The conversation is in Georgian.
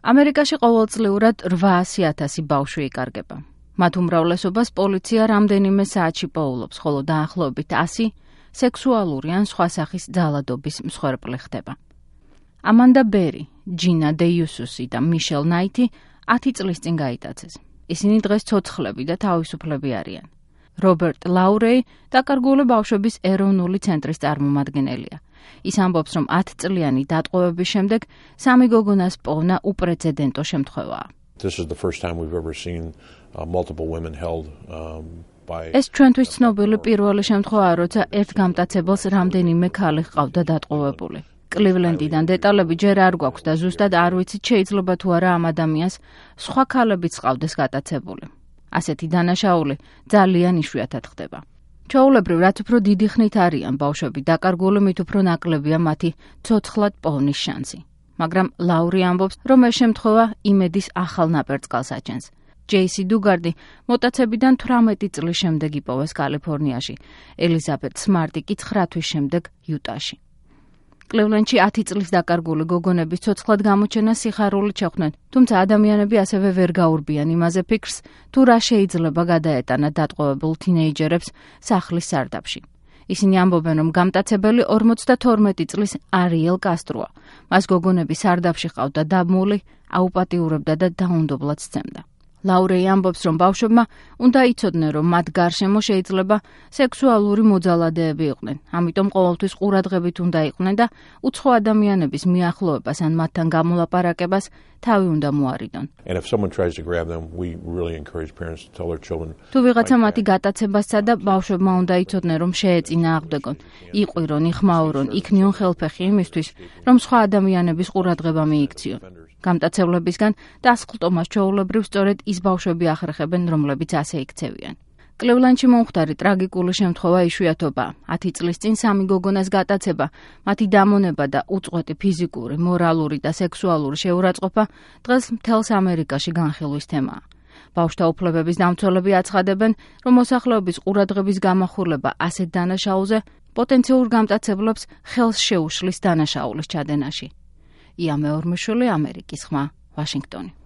ამერიკაში ყოველწლიურად 800,000 ბავშვი იკარგება. მათ უმრავლესობას პოლიცია რამდენიმე საათში პოულობს, ხოლო დაახლოებით 100 სექსუალური ან სხვა სახის ძალადობის მსხვერპლი ხდება. ამანდა ბერი, ჯინა დე იუსუსი და მიშელ ნაითი 10 წლის წინ გაიტაცეს. ისინი დღეს ცოცხლები და თავისუფლები არიან. რობერტ ლაურეი დაკარგული ბავშვების ეროვნული ცენტრის წარმომადგენელია. ის ამბობს, რომ 10 წლიანი დატყვევების შემდეგ სამი გოგონას პოვნა უპრეცედენტო შემთხვევაა. ეს ჩვენთვის ცნობილი პირველი შემთხვევაა, როცა ერთ გამტაცებელს რამდენიმე ქალი ჰყავდა დატყვევებული. კლივლენდიდან დეტალები ჯერ არ გვაქვს და ზუსტად არ ვიცით შეიძლება თუ არა ამ ადამიანს სხვა ქალებიც ჰყავდეს გატაცებული. ასეთი დანაშაული ძალიან იშვიათად ხდება. ჩვეულებრივ, რაც უფრო დიდი ხნით არიან ბავშვები დაკარგული, მით უფრო ნაკლებია მათი ცოცხლად პოვნის შანსი. მაგრამ ლაური ამბობს, რომ ეს შემთხვევა იმედის ახალ ნაპერწკალს აჩენს. ჯეისი დუგარდი მოტაცებიდან 18 წლის შემდეგ იპოვეს კალიფორნიაში, ელიზაბეთ სმარტი კი 9 თვის შემდეგ იუტაში. კლივლენდში 10 წლის დაკარგული გოგონების ცოცხლად გამოჩენას სიხარულით შეხვდნენ, თუმცა ადამიანები ასევე ვერ გაურბიან იმაზე ფიქრს, თუ რა შეიძლება გადაეტანა დატყვევებულ თინეიჯერებს სახლის სარდაფში. ისინი ამბობენ, რომ გამტაცებელი 52 წლის არიელ კასტროა. მას გოგონები სარდაფში ჰყავდა დაბმული, აუპატიურებდა და დაუნდობლად სცემდა. ლაურეი ამბობს, რომ ბავშვებმა უნდა იცოდნენ, რომ მათ გარშემო შეიძლება სექსუალური მოძალადეები იყვნენ. ამიტომ ყოველთვის ყურადღებით უნდა იყვნენ და უცხო ადამიანების მიახლოებას ან მათთან გამოლაპარაკებას თავი უნდა მოარიდონ. თუ ვიღაცა მათი გატაცებასცა და ბავშვებმა უნდა იცოდნენ, რომ შეეწინააღმდეგონ, იყვირონ, იხმაურონ, იქნიონ ხელფეხი იმისთვის, რომ სხვა ადამიანების ყურადღება მიიქციონ. გამტაცებლებისგან დასხლტომას ჩვეულებრივ სწორედ ის ბავშვები ახრეხებენ, რომლებიც ასე იქცევიან. კლივლენდში მომხდარი ტრაგიკული შემთხვევა იშვიათობაა. 10 წლის წინ სამი გოგონას გატაცება, მათი დამონება და უწყვეტი ფიზიკური, მორალური და სექსუალური შეურაცხყოფა დღეს მთელს ამერიკაში განხილვის თემაა. ბავშვთა უფლებების დამცველები აცხადებენ, რომ მოსახლეობის ყურადღების გამახვილება ასეთ დანაშაულზე პოტენციურ გამტაცებლებს ხელს შეუშლის დანაშაულის ჩადენაში. ია მეორმეშვილი, ამერიკის ხმა, ვაშინგტონი.